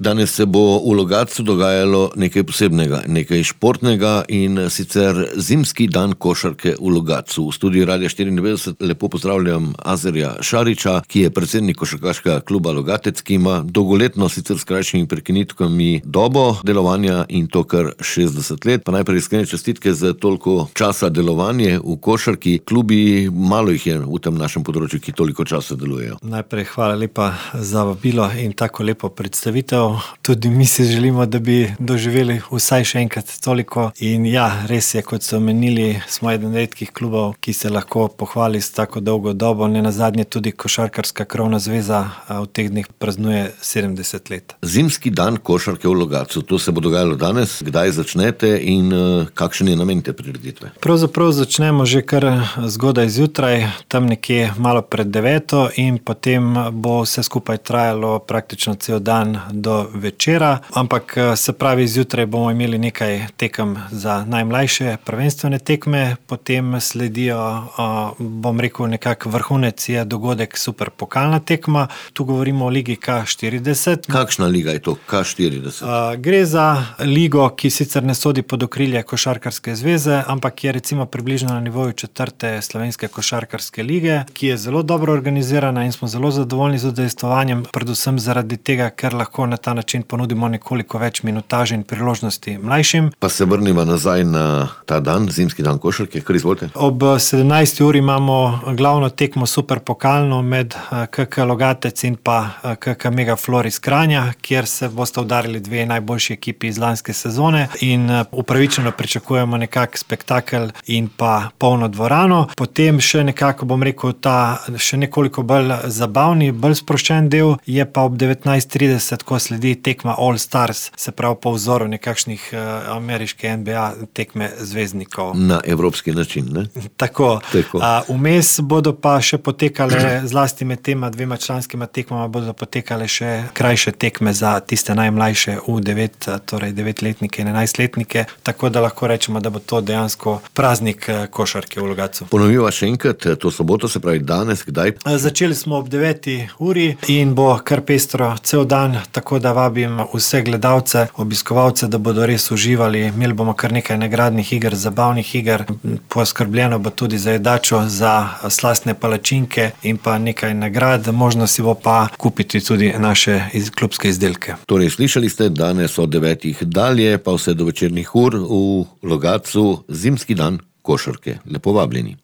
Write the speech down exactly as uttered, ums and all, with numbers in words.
Danes se bo v Logatcu dogajalo nekaj posebnega, nekaj športnega in sicer zimski dan košarke v Logatcu. V studiu Radia štiriindevetdeset lepo pozdravljam Azerja Šariča, ki je predsednik košarkaškega kluba Logatec, ki ima dolgoletno, sicer s krajšimi prekinitkami, dobo delovanja in to kar šestdeset let. Pa najprej iskrene čestitke za toliko časa delovanje v košarki. Klubi, malo jih je v tem našem področju, ki toliko časa delujejo. Najprej hvala lepa za vabilo in tako lepo predstavitev. Tudi mi si želimo, da bi doživeli vsaj še enkrat toliko. In ja, res je, kot so omenili, smo eden redkih klubov, ki se lahko pohvali s tako dolgo dobo. Nenazadnje tudi Košarkarska krovna zveza v teh dneh praznuje sedemdeset let. Zimski dan košarke v Logatcu, to se bo dogajalo danes. Kdaj začnete in kakšen je namen te prireditve? Pravzaprav začnemo že kar zgodaj zjutraj, tam nekje malo pred deveto, in potem bo vse skupaj trajalo praktično cel dan do večera, ampak se pravi, zjutraj bomo imeli nekaj tekem za najmlajše prvenstvene tekme, potem sledijo, bom rekel, nekak vrhunec je dogodek super pokalna tekma. Tu govorimo o ligi K štirideset. Kakšna liga je to K štirideset? Gre za ligo, ki sicer ne sodi pod okrilje Košarkarske zveze, ampak je recimo približno na nivoju četrte slovenske košarkarske lige, ki je zelo dobro organizirana in smo zelo zadovoljni z udejstvovanjem, predvsem zaradi tega, ker lahko na ta način ponudimo nekoliko več minutaže in priložnosti mlajšim. Pa se vrnimo nazaj na ta dan, zimski dan košarke, kar izvolite. Ob sedemnajsti uri imamo glavno tekmo super pokalno med K K Logatec in pa K K Megaflor iz Kranja, kjer se bosta udarili dve najboljši ekipi iz lanske sezone in upravičeno pričakujemo nekak spektakel in pa polno dvorano. Potem še nekako, bom rekel, ta še nekoliko bolj zabavni, bolj sproščen del je pa ob devetnajst trideset, ko sledi tekma All Stars, se pravi po vzoru nekakšnih uh, ameriške N B A tekme zvezdnikov. Na evropski način, ne? Tako. Tako. Uh, vmes bodo pa še potekale, zlasti med tema dvema članskima tekmama, bodo potekale še krajše tekme za tiste najmlajše v devet, torej devetletnike in enajstletnike, tako da lahko rečemo, da bo to dejansko praznik košarke v Logatcu. Ponoviva še enkrat, to soboto, se pravi danes, kdaj? Začeli smo ob deveti uri in bo kar pestro cel dan, tako da vabim vse gledalce, obiskovalce, da bodo res uživali. Imeli bomo kar nekaj nagradnih iger, zabavnih iger, poskrbljeno bo tudi za jedačo, za slastne palačinke in pa nekaj nagrad. Možno si bo pa kupiti tudi naše iz, klubske izdelke. Torej, slišali ste, danes od devetih dalje, pa vse do večernih ur v Logatcu, zimski dan košarke. Lepo vabljeni.